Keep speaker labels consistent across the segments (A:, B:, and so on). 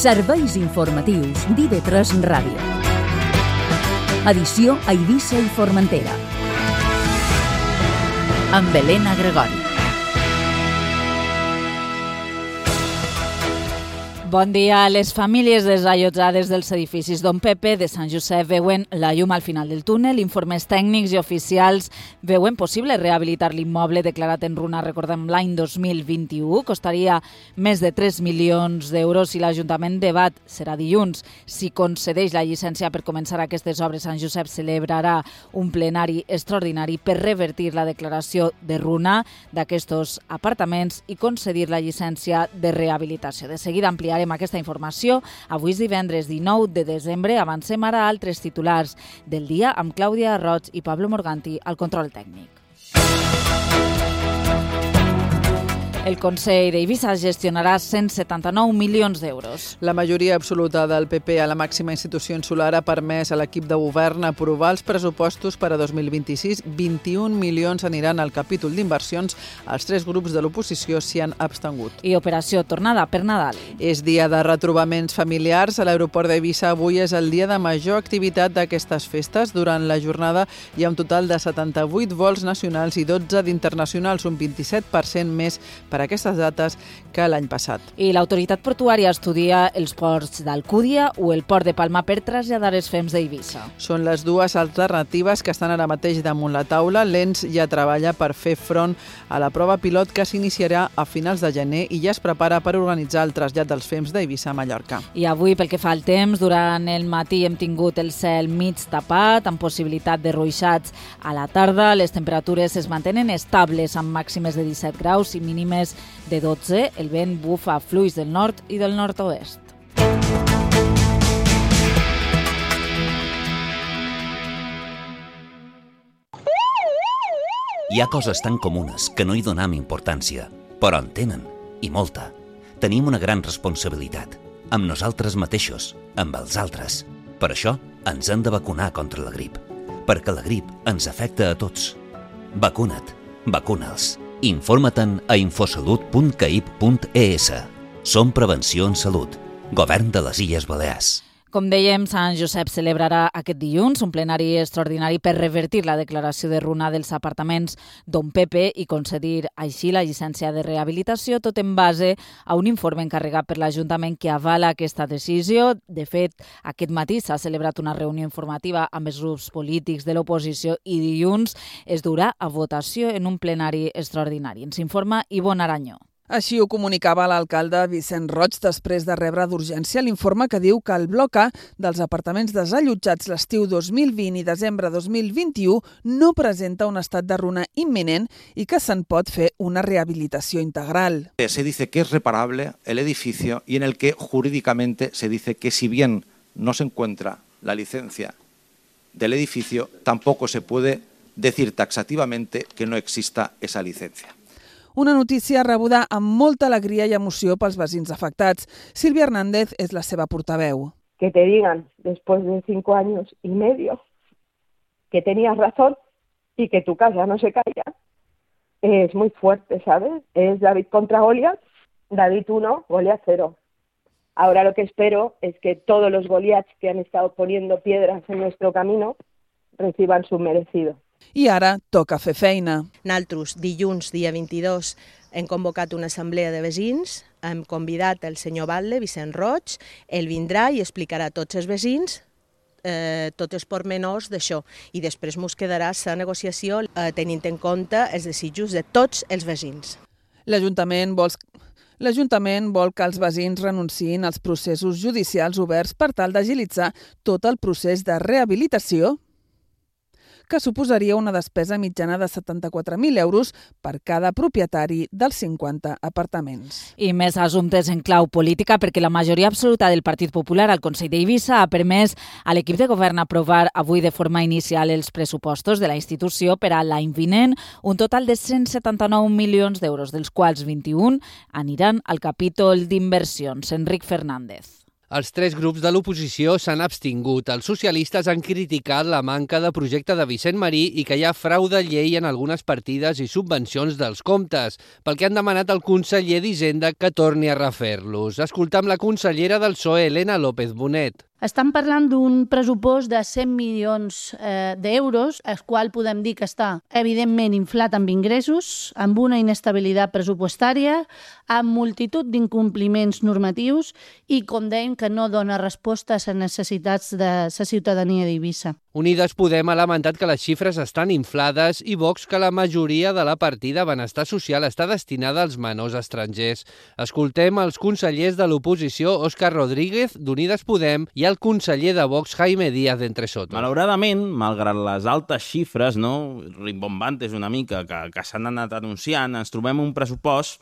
A: Serveis informatius d'IV3 Ràdio. Edició a Eivissa i Formentera. Amb Helena Gregori.
B: Bon dia. Les famílies desallotjades dels edificis Don Pepe de Sant Josep veuen la llum al final del túnel. Informes tècnics i oficials veuen possible rehabilitar l'immoble declarat en runa, recordem, l'any 2021. Costaria més de 3 milions d'euros i l'Ajuntament debat, serà dilluns, si concedeix la llicència per començar aquestes obres. Sant Josep celebrarà un plenari extraordinari per revertir la declaració de runa d'aquests apartaments i concedir la llicència de rehabilitació. De seguida ampliarem aquesta informació. Avui és divendres 19 de desembre. Avancem ara a altres titulars del dia amb Clàudia Roig i Pablo Morganti al control tècnic. El Consell d'Eivissa gestionarà 179 milions d'euros.
C: La majoria absoluta del PP a la màxima institució insular ha permès a l'equip de govern aprovar els pressupostos per a 2026. 21 milions aniran al capítol d'inversions. Els 3 grups de l'oposició s'hi han abstengut.
B: I operació tornada per Nadal.
C: És dia de retrobaments familiars. A l'aeroport d'Eivissa avui és el dia de major activitat d'aquestes festes. Durant la jornada hi ha un total de 78 vols nacionals i 12 d'internacionals, un 27% més per a aquestes dates que l'any passat.
B: I l'autoritat portuària estudia els ports d'Alcúdia o el port de Palma per traslladar els FEMS d'Eivissa.
C: Són les dues alternatives que estan ara mateix damunt la taula. L'ENS ja treballa per fer front a la prova pilot que s'iniciarà a finals de gener i ja es prepara per organitzar el trasllat dels FEMS d'Eivissa a Mallorca.
B: I avui, pel que fa al temps, durant el matí hem tingut el cel mig tapat, amb possibilitat de ruixats a la tarda. Les temperatures es mantenen estables, amb màximes de 17 graus i mínimes de 12. El vent bufa a fluix del nord i del nord-oest.
D: Hi ha coses tan comunes que no hi donem importància, però en tenen, i molta. Tenim una gran responsabilitat, amb nosaltres mateixos, amb els altres. Per això ens hem de vacunar contra la grip, perquè la grip ens afecta a tots. Vacuna't, vacuna'ls. Informa-te'n a infosalut.caip.es. Som Prevenció en Salut. Govern de les Illes Balears.
B: Com dèiem, Sant Josep celebrarà aquest dilluns un plenari extraordinari per revertir la declaració de runa dels apartaments Don Pepe i concedir així la llicència de rehabilitació, tot en base a un informe encarregat per l'Ajuntament que avala aquesta decisió. De fet, aquest matí s'ha celebrat una reunió informativa amb els grups polítics de l'oposició i dilluns es durà a votació en un plenari extraordinari. Ens informa Ivonne Aranyó.
C: Així ho comunicava l'alcalde Vicent Roig després de rebre d'urgència l'informe que diu que el bloc A dels apartaments desallotjats l'estiu 2020 i desembre 2021 no presenta un estat de runa imminent i que se'n pot fer una rehabilitació integral.
E: Se dice que es reparable el edificio y en el que jurídicamente se dice que si bien no se encuentra la licencia del edificio, tampoco se puede decir taxativamente que no exista esa licencia.
C: Una notícia rebuda amb molta alegria i emoció pels veïns afectats. Sílvia Hernández és la seva portaveu.
F: Que te digan, después de 5 años y medio, que tenías razón y que tu casa no se caiga, es muy fuerte, ¿sabes? Es David contra Goliat, David 1, Goliat 0. Ahora lo que espero es que todos los Goliats que han estado poniendo piedras en nuestro camino reciban su merecido.
C: I ara toca fer feina.
G: Nosaltres, dilluns, dia 22, hem convocat una assemblea de veïns, hem convidat el senyor Batlle, Vicent Roig, ell vindrà i explicarà a tots els veïns tots els pormenors d'això i després ens quedarà la negociació tenint en compte els desitjos de tots els veïns.
C: L'Ajuntament vol que els veïns renunciïn als processos judicials oberts per tal d'agilitzar tot el procés de rehabilitació, que suposaria una despesa mitjana de 74.000 euros per cada propietari dels 50 apartaments.
B: I més assumptes en clau política, perquè la majoria absoluta del Partit Popular al Consell d'Eivissa ha permès a l'equip de govern aprovar avui de forma inicial els pressupostos de la institució per a l'any vinent, un total de 179 milions d'euros, dels quals 21 aniran al capítol d'inversions. Enric Fernández.
H: Els 3 grups de l'oposició s'han abstingut. Els socialistes han criticat la manca de projecte de Vicent Marí i que hi ha frau de llei en algunes partides i subvencions dels comptes, pel que han demanat al conseller d'Hisenda que torni a refer-los. Escoltam la consellera del PSOE, Elena López Bonet.
I: Estem parlant d'un pressupost de 100 milions d'euros, el qual podem dir que està evidentment inflat amb ingressos, amb una inestabilitat pressupostària, amb multitud d'incompliments normatius i, com dèiem, que no dona resposta a les necessitats de la ciutadania d'Eivissa.
H: Unides Podem ha lamentat que les xifres estan inflades i Vox que la majoria de la partida Benestar Social està destinada als menors estrangers. Escoltem els consellers de l'oposició, Òscar Rodríguez, d'Unides Podem, i el conseller de Vox, Jaime Díaz d'Entresoto.
J: Malauradament, malgrat les altes xifres, rimbombantes una mica, que s'han anat anunciant, ens trobem un pressupost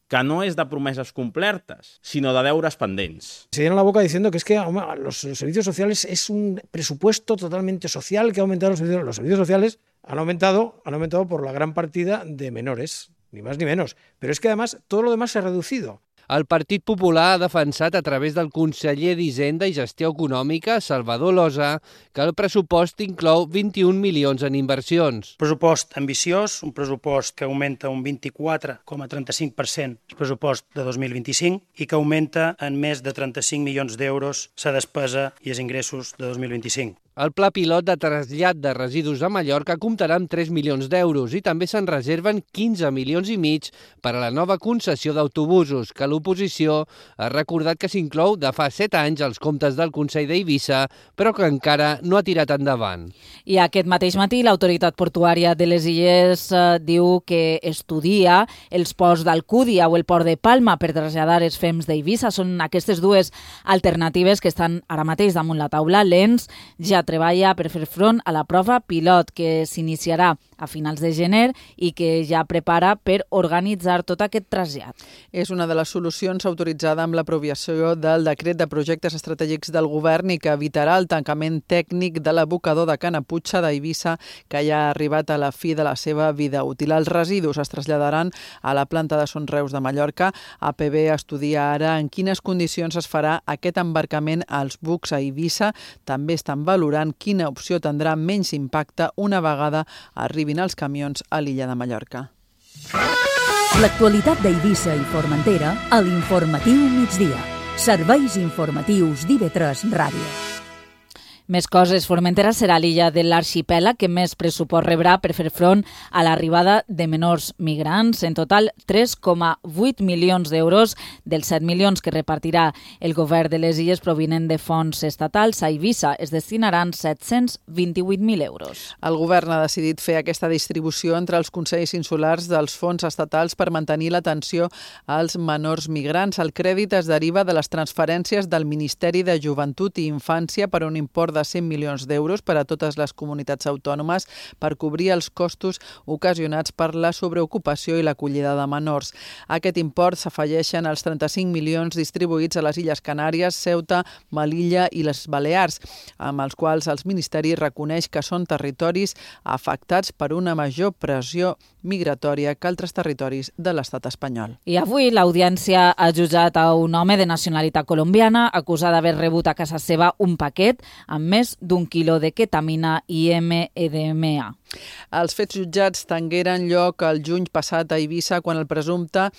J: que no es de promeses complertes, sino de deures pendents.
K: Se llena la boca diciendo que es que los servicios sociales es un presupuesto totalmente social que ha aumentado los servicios sociales han aumentado por la gran partida de menores, ni más ni menos. Pero es que además todo lo demás se ha reducido.
H: El Partit Popular ha defensat a través del conseller d'Hisenda i Gestió Econòmica, Salvador Losa, que el pressupost inclou 21 milions en inversions.
L: Pressupost ambiciós, un pressupost que augmenta un 24,35% el pressupost de 2025 i que augmenta en més de 35 milions d'euros la despesa i els ingressos de 2025.
H: El pla pilot de trasllat de residus a Mallorca comptarà amb 3 milions d'euros i també se'n reserven 15 milions i mig per a la nova concessió d'autobusos, que l'oposició ha recordat que s'inclou de fa 7 anys als comptes del Consell d'Eivissa, però que encara no ha tirat endavant.
B: I aquest mateix matí l'autoritat portuària de les Illes diu que estudia els ports d'Alcúdia o el port de Palma per traslladar els fems d'Eivissa. Són aquestes dues alternatives que estan ara mateix damunt la taula. L'ENS ja treballa per fer front a la prova pilot que s'iniciarà a finals de gener i que ja prepara per organitzar tot aquest trasllat.
C: És una de les solucions autoritzada amb l'aprovació del decret de projectes estratègics del govern i que evitarà el tancament tècnic de l'abocador de Canaputxa d'Eivissa, que ja ha arribat a la fi de la seva vida útil. Els residus es traslladaran a la planta de Son Reus de Mallorca. APB estudia ara en quines condicions es farà aquest embarcament als bucs a Eivissa. També estan valorant quina opció tindrà menys impacte una vegada arribin els camions a l'illa de Mallorca.
A: L'actualitat d'Eivissa i Formentera a l'Informatiu Migdia. Serveis informatius d'IV3 Ràdio.
B: Més coses, Formentera serà l'illa de l'arxipèlag que més pressupost rebrà per fer front a l'arribada de menors migrants. En total, 3,8 milions d'euros dels 7 milions que repartirà el govern de les illes provinent de fons estatals. A Eivissa es destinaran 728.000 euros.
C: El govern ha decidit fer aquesta distribució entre els consells insulars dels fons estatals per mantenir l'atenció als menors migrants. El crèdit es deriva de les transferències del Ministeri de Joventut i Infància per un import de 100 milions d'euros per a totes les comunitats autònomes per cobrir els costos ocasionats per la sobreocupació i l'acollida de menors. A aquest import s'afegeixen els 35 milions distribuïts a les Illes Canàries, Ceuta, Melilla i les Balears, amb els quals el Ministeri reconeix que són territoris afectats per una major pressió migratòria que altres territoris de l'estat espanyol.
B: I avui l'audiència ha jutjat a un home de nacionalitat colombiana acusat d'haver rebut a casa seva un paquet amb més d'1 quilo de ketamina i MDMA.
C: Els fets jutjats tingueren lloc el juny passat a Eivissa quan el presumpte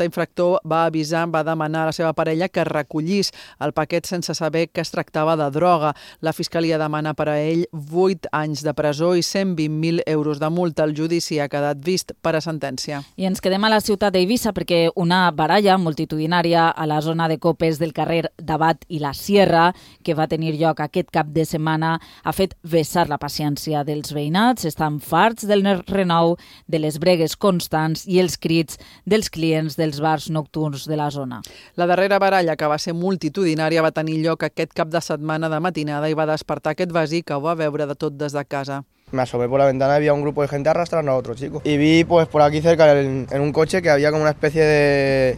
C: infractor va demanar a la seva parella que recollís el paquet sense saber que es tractava de droga. La Fiscalia demana per a ell 8 anys de presó i 120.000 euros de multa. El judici ha quedat vist per a sentència.
B: I ens quedem a la ciutat d'Eivissa perquè una baralla multitudinària a la zona de copes del carrer d'Abat i la Sierra, que va tenir lloc aquest cap de setmana, ha fet vessar la paciència dels veïnats. Estan farts del renou, de les bregues constants i els crits dels clients dels bars nocturns de la zona.
C: La darrera baralla, que va ser multitudinària, va tenir lloc aquest cap de setmana de matinada i va despertar aquest veí que ho va veure de tot des de casa.
M: Me asomé por la ventana y había un grupo de gente arrastrando a otro chico. Y vi pues por aquí cerca en un coche que había como una especie de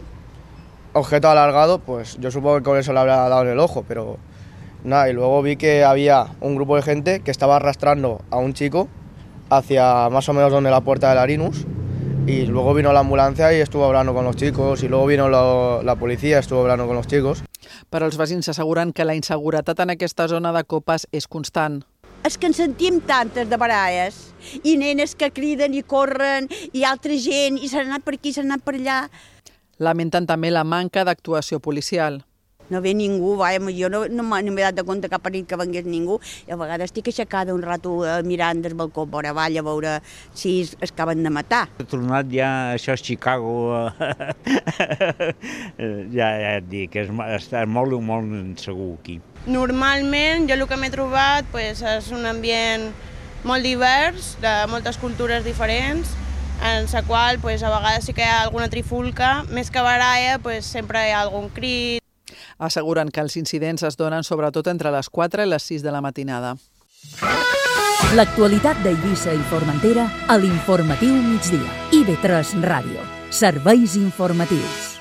M: objeto alargado, pues yo supongo que con eso le habrá dado en el ojo, pero nada, y luego vi que había un grupo de gente que estaba arrastrando a un chico hacia más o menos donde la puerta del Arinus, y luego vino la ambulancia y estuvo hablando con los chicos, y luego vino la policía, estuvo hablando con los chicos.
C: Però els veïns asseguren que la inseguretat en aquesta zona de Copes és constant.
N: És que en sentim tantes de baralles, i nenes que criden i corren, i altra gent, i s'han anat per aquí, s'han anat per allà.
C: Lamenten també la manca d'actuació policial.
N: No ve ningú, jo no m'he dat de compte que ha parit que vengués ningú, i a vegades estic aixecada un rato mirant del balcó vora avall a veure si es acaben de matar.
O: He tornat ja, això és Chicago, ja et dic, està molt insegur aquí.
P: Normalment jo el que m'he trobat és un ambient molt divers, de moltes cultures diferents, en la qual a vegades sí que hi ha alguna trifulca, més que baralla sempre hi ha algun crit.
C: Asseguren que els incidents es donen sobretot entre les 4 i les 6 de la matinada.
A: L'actualitat d'Eivissa i Formentera a l'Informatiu Migdia. IB3 Ràdio. Serveis informatius.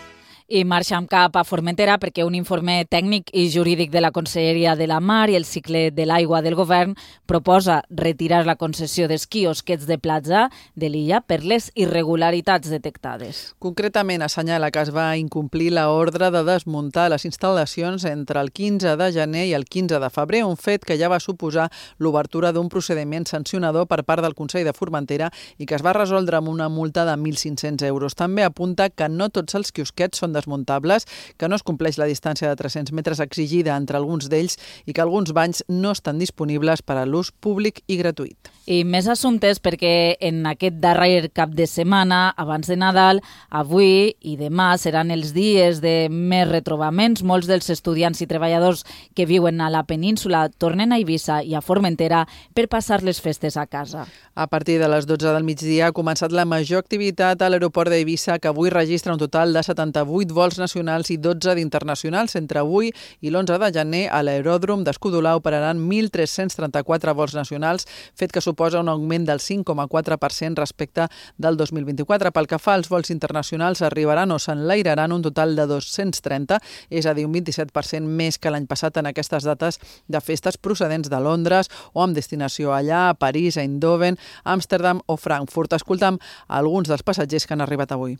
B: I marxem cap a Formentera perquè un informe tècnic i jurídic de la Conselleria de la Mar i el cicle de l'aigua del govern proposa retirar la concessió dels quiosquets de platja de l'illa per les irregularitats detectades.
C: Concretament assenyala que es va incomplir l'ordre de desmuntar les instal·lacions entre el 15 de gener i el 15 de febrer, un fet que ja va suposar l'obertura d'un procediment sancionador per part del Consell de Formentera i que es va resoldre amb una multa de 1.500 euros. També apunta que no tots els quiosquets són desmuntables, que no es compleix la distància de 300 metres exigida entre alguns d'ells i que alguns banys no estan disponibles per a l'ús públic i gratuït.
B: I més assumptes perquè en aquest darrer cap de setmana, abans de Nadal, avui i demà seran els dies de més retrobaments. Molts dels estudiants i treballadors que viuen a la península tornen a Eivissa i a Formentera per passar les festes a casa.
C: A partir de les 12 del migdia ha començat la major activitat a l'aeroport d'Eivissa, que avui registra un total de 78 vols nacionals i 12 d'internacionals. Entre avui i l'11 de gener a l'aeròdrom d'Escudolau operaran 1.334 vols nacionals, fet que suposa un augment del 5,4% respecte del 2024. Pel que fa als vols internacionals, arribaran o s'enlairaran un total de 230, és a dir, un 27% més que l'any passat en aquestes dates de festes procedents de Londres o amb destinació allà, a París, a Eindhoven, Amsterdam o Frankfurt. Escoltam alguns dels passatgers que han arribat avui.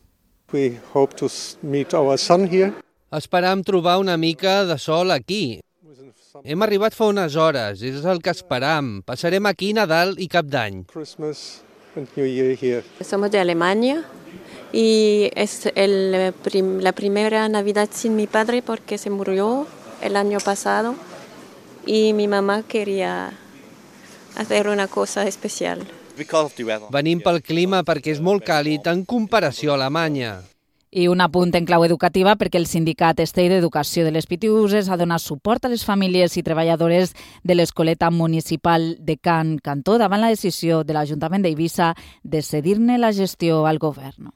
Q: We hope to meet our son here.
H: Esperam trobar una mica de sol aquí. Hem arribat fa unes hores, és el que esperam. Passarem aquí Nadal i Cap d'Any.
Q: Christmas and New Year here.
R: Somos de Alemania y es la primera Navidad sin mi padre porque se murió el año pasado y mi mamá quería hacer una cosa especial.
H: Venim pel clima perquè és molt càlid en comparació a Alemanya.
B: I un apunt en clau educativa perquè el sindicat Estell d'Educació de les Pitiüses ha donat suport a les famílies i treballadores de l'Escoleta Municipal de Can Cantó davant la decisió de l'Ajuntament d'Eivissa de cedir-ne la gestió al govern.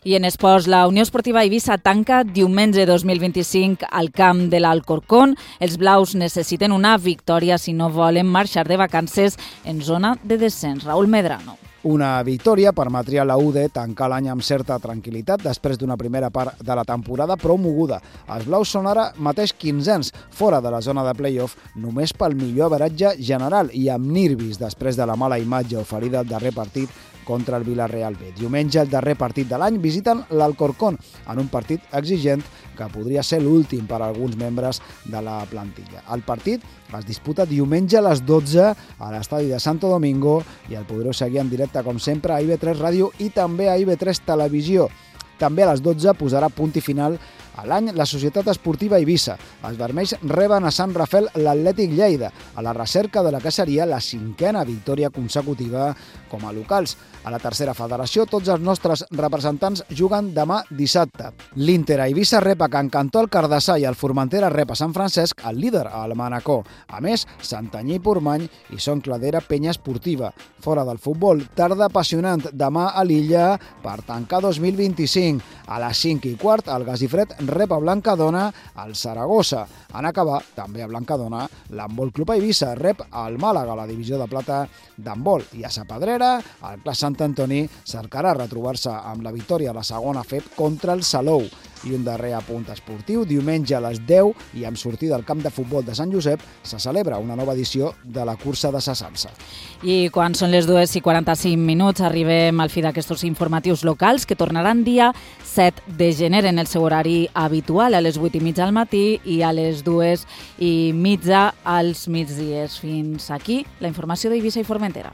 B: I en esports, la Unió Esportiva Eivissa tanca diumenge 2025 al camp de l'Alcorcón. Els blaus necessiten una victòria si no volen marxar de vacances en zona de descens. Raúl Medrano.
S: Una victòria permetria a la UD tancar l'any amb certa tranquil·litat després d'una primera part de la temporada prou moguda. Els blaus són ara mateix 15ens, fora de la zona de play-off, només pel millor averatge general i amb nervis després de la mala imatge oferida al darrer partit contra el Villarreal B. Diumenge, el darrer partit de l'any, visiten l'Alcorcón en un partit exigent que podria ser l'últim per a alguns membres de la plantilla. El partit es disputa diumenge a les 12 a l'estadi de Santo Domingo i el podreu seguir en directe, com sempre, a IB3 Ràdio i també a IB3 Televisió. També a les 12 posarà punt i final a l'any la Societat Esportiva Eivissa. Els vermells reben a Sant Rafel l'Atlètic Lleida, a la recerca de la que seria la 5a victòria consecutiva com a locals. A la tercera federació, tots els nostres representants juguen demà dissabte. L'Inter a Eivissa rep a Can Cantó el Cardassà i el Formentera rep a Sant Francesc el líder, al Manacor. A més, Santanyí i Portmany i Son Cladera Penya Esportiva. Fora del futbol, tarda apassionant demà a l'Illa per tancar 2025. A les 5:15, el Gasifred rep a Blancadona al Saragossa. En acabar, també a Blancadona, l'Handbol Club Eivissa rep al Màlaga, la divisió de plata d'handbol. I a Sa Pedrera, el Clas Sant Antoni cercarà retrobar-se amb la victòria a la segona FEP contra el Salou. I un darrer apunt esportiu. Diumenge a les 10 i amb sortida al camp de futbol de Sant Josep se celebra una nova edició de la cursa de Sasansa.
B: I quan són les 2:45 arribem al fi d'aquests informatius locals que tornaran dia 7 de gener en el seu horari habitual a les 8:30 al matí i a les 2:30 als migdies. Fins aquí la informació d'Eivissa i Formentera.